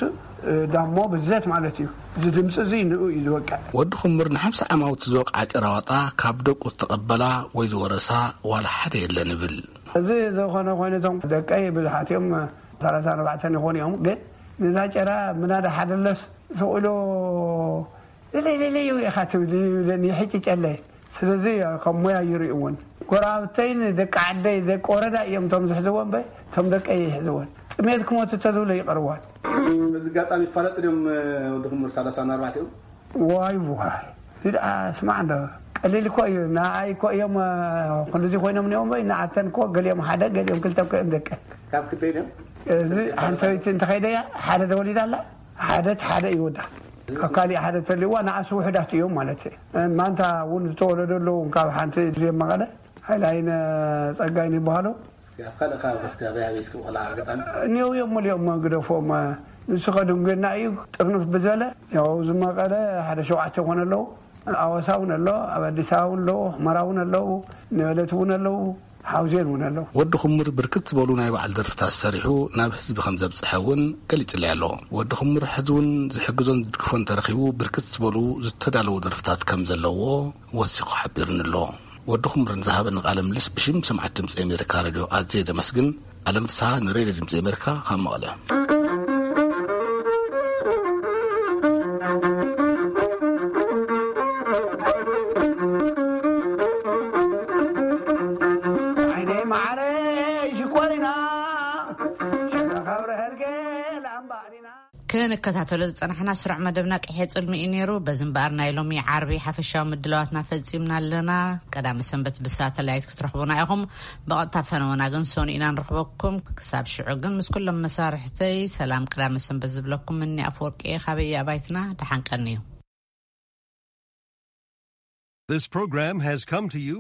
እ፣ ዳሞ ብዘት ማለት እዩ። እዚ ድምፂ እዚ ንኡ እዩ ዝወቅዕ። ወዲ ኹምር ንሓምሳ ዓማውቲ ዝወቕዓ ጭራዋጣ ካብ ደቁ ዝተቐበላ ወይ ዝወረሳ ዋላ ሓደ የለን ይብል። እዚ ዝኾነ ኮይኑ እቶም ደቀይ ብዙሓት እዮም፣ ሰላሳ ኣርባዕተ ይኾኑ እዮም። ግን ነዛ ጭራ ምናዳ ሓደለስ ስቕ ኢሉ ለለይ ለለይ ኢኻ ትብል ይብለኒ፣ ይሕጭጨለይ። ስለዚ ከም ሞያ ይርእይዎን። ጎረባብተይን ደቂ ዓደይ፣ ደቂ ወረዳ እዮም እቶም ዝሕዝዎ እምበር፣ እቶም ደቀይ ይሕዝዎን። ጥሜት ክሞት እንተዝብሎ ይቐርዋን። በዚ ኣጋጣሚ ይፋለጡ ድዮም፣ ወዲ ኩምር ሰላሳ ኣርባዕተ እዮም? ዋይ፣ ዋይ። እዚ ደኣ ስማዕ እንዶ፣ ቀሊል እኮ እዩ። ንኣይ እኮ እዮም፣ እ፣ ክንድዚ ኮይኖም እኒኦም ወይ ንኣተን እኮ ገሊኦም ሓደ፣ ገሊኦም ክልተ እኮ እዮም ደቀ። ካብ ክልተ እዮም? እዚ ሓንቲ ሰበይቲ እንተኸይደ እያ፣ ሓደ ተወሊዳ ኣላ፣ ሓደ እቲ ሓደ ይወዳ። ካብ ካሊእ ሓደ ተልዋ ንኣስ ውሕዳት እዮም ማለት እዩ። ማንታ እውን ዝተወለደ ኣለዉ ካብ ሓንቲ እዚኦም መቐለ፣ ሓይላይነ ጸጋይን ይበሃሉ። እስኪ ኣብ ካልእ ከባቢ እስኪ ኣበይ ኣበይ እስኪ ቆልዓ ኣጋጣሚ? እኒው እዮም ሙሉኦም ግደፎም። ንሱ ከድንጉየና እዩ፣ ጥርንፍ ብዝበለ፣ ያው እዚ መቐለ ሓደ ሸውዓተ ይኾኑ ኣለዉ። ኣዋሳ እውን ኣሎ፣ ኣብ ኣዲስ ኣበባ እውን ኣለዉ፣ ሑመራ እውን ኣለዉ፣ ነበለት እውን ኣለዉ፣ ሓውዜን እውን ኣለዉ። ወዲ ኩምር ብርክት ዝበሉ ናይ በዓል ደርፍታት ሰሪሑ ናብ ህዝቢ ከም ዘብጽሐ እውን ገሊጽለይ ኣሎ። ወዲ ኩምር ሕዚ እውን ዝሕግዞን ዝድግፎን ተረኺቡ ብርክት ዝበሉ ዝተዳለዉ ደርፍታት ከም ዘለዎ ወሲኹ ሓቢርኒ ኣሎ። ወዲ ኩምር ንዝሃበኒ ቃለ ምልልስ ብሽም ሰማዕቲ ድምፂ ኣሜሪካ ሬድዮ ኣዝየ ዘመስግን። ኣለም ፍስሃ ንሬድዮ ድምፂ ኣሜሪካ ካብ መቐለ። ክንከታተሎ ዝጸናሕና ስሩዕ መደብና ቅሔ ጽልሚ እዩ ነይሩ። በዚ እምበኣር ናይ ሎሚ ዓርቢ ሓፈሻዊ ምድላዋትና ፈጺምና ኣለና። ቀዳመ ሰንበት ብሳተላይት ክትረኽቡና ኢኹም። ብቐጥታ ፈነወና ግን ሰኑይ ኢና ንረኽበኩም። ክሳብ ሽዑ ግን ምስ ኩሎም መሳርሕተይ ሰላም ቀዳመ ሰንበት ዝብለኩም እኒ ኣፈወርቂ እየ። ካበየ ኣባይትና ደሓን ቀንዩ። This program has come to you